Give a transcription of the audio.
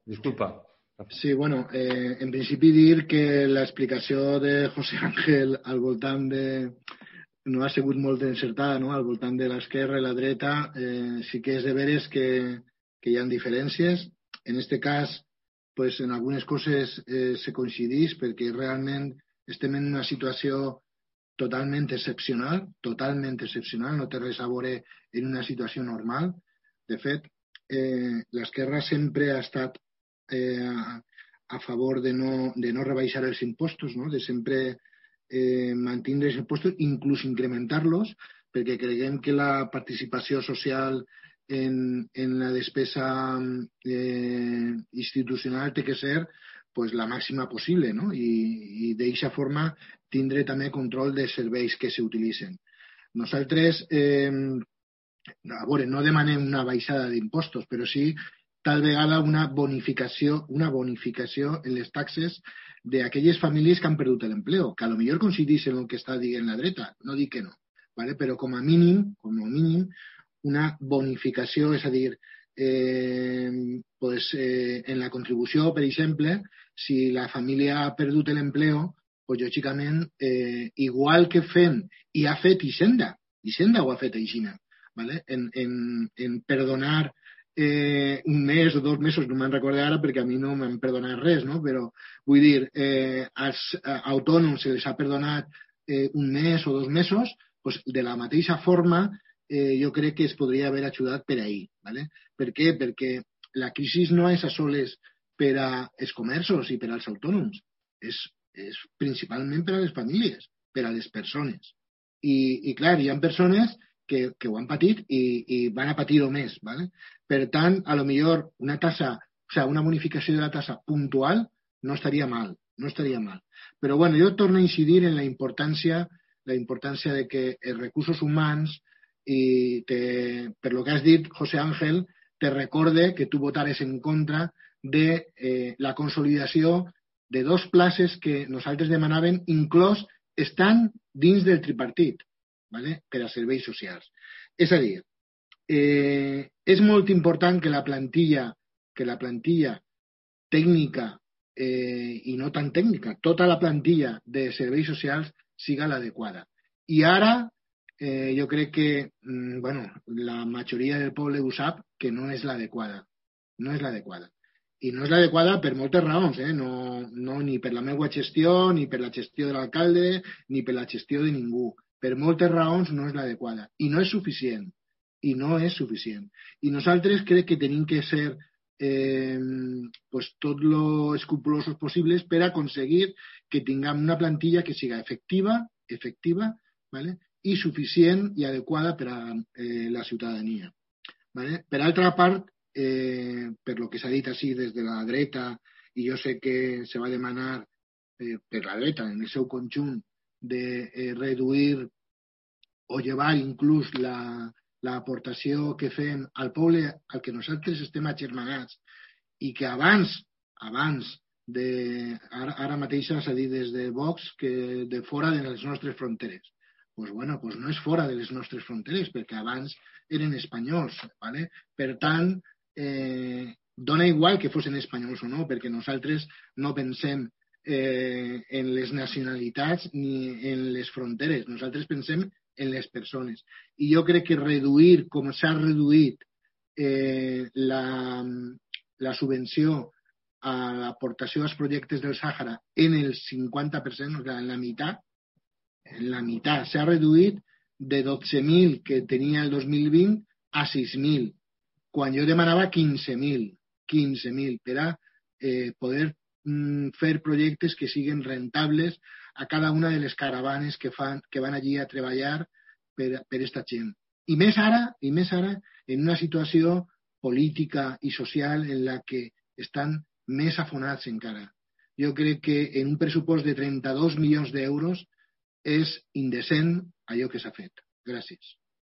Disculpa. Sí, bueno, en principi dir que l'explicació de José Ángel al voltant de... no ha sigut molt encertada, no? Al voltant de l'esquerra i la dreta, sí que és de veres que hi ha diferències. En aquest cas, pues, en algunes coses se coincideix perquè realment estem en una situació totalment excepcional, no té res a veure en una situació normal. De fet, l'esquerra sempre ha estat a favor de no rebaixar els impostos, no? De sempre mantenir els impostos, inclús incrementar-los, perquè creiem que la participació social en la despesa institucional té que ser pues, la màxima possible, no? I d'aquesta forma tindre també control dels serveis que s'utilitzen. Nosaltres, a veure, no demanem una baixada d'impostos, però sí tal vegada una bonificació en les taxes d'aquelles famílies que han perdut l'empleo, que a lo millor coincideix en el que està dient la dreta, no dic que no, ¿vale? Però com a mínim, una bonificació, és a dir, en la contribució, per exemple, si la família ha perdut l'empleo, pues, lògicament, igual que fem, i ha fet Hisenda ho ha fet així, ¿vale? En perdonar un mes o 2 mesos, no me'n recordo ara perquè a mi no m'han perdonat res, no? Però vull dir, als autònoms se les ha perdonat un mes o 2 mesos, pues, de la mateixa forma jo crec que es podria haver ajudat per ahir. ¿Vale? Per què? Perquè la crisi no és a soles per als comerços i per als autònoms, és principalment per a les famílies, per a les persones. I clar, hi ha persones que ho han patit i van a patir-ho més. ¿Vale? Per tant, a lo millor una bonificació de la tassa puntual no estaria mal, Però bueno, jo torno a incidir en la importància de que els recursos humans i per lo que has dit, José Ángel, te recorde que tu votares en contra de la consolidació de 2 places que nosaltres demanàvem, inclòs estan dins del tripartit, ¿vale? Per a serveis socials. És a dir, és molt important que la plantilla tècnica i no tan tècnica, tota la plantilla de serveis socials siga l'adequada. I ara jo crec que la majoria del poble ho sap que no és l'adequada. I no és l'adequada per moltes raons, no ni per la meva gestió, ni per la gestió de l'alcalde, ni per la gestió de ningú. Per moltes raons no és l'adequada. I no és suficient. I nosaltres crec que tenim que ser tot lo escrupulosos possibles per aconseguir que tinguem una plantilla que siga efectiva, ¿vale? I suficient i adequada per a la ciutadania. ¿Vale? Per altra part, per lo que s'ha dit així des de la dreta, i jo sé que se va demanar per la dreta en el seu conjunt de reduir o llevar inclús l'aportació que fem al poble al que nosaltres estem agermanats i que abans ara mateix s'ha dit des de Vox que de fora de les nostres fronteres. Pues no és fora de les nostres fronteres, perquè abans eren espanyols. ¿Vale? Per tant, dona igual que fossin espanyols o no, perquè nosaltres no pensem en les nacionalitats ni en les fronteres. Nosaltres pensem en les persones. I jo crec que reduir, com s'ha reduït la subvenció a l'aportació als projectes del Sàhara en el 50%, o sigui, en la meitat, s'ha reduït de 12.000 que tenia el 2020 a 6.000, quan jo demanava 15.000 per a poder fer projectes que siguin rentables a cada una de les caravanes que van allí a treballar per aquesta gent. I més ara, en una situació política i social en la que estan més afonats encara. Jo crec que en un pressupost de 32 milions d'euros és indecent allò que s'ha fet. Gràcies.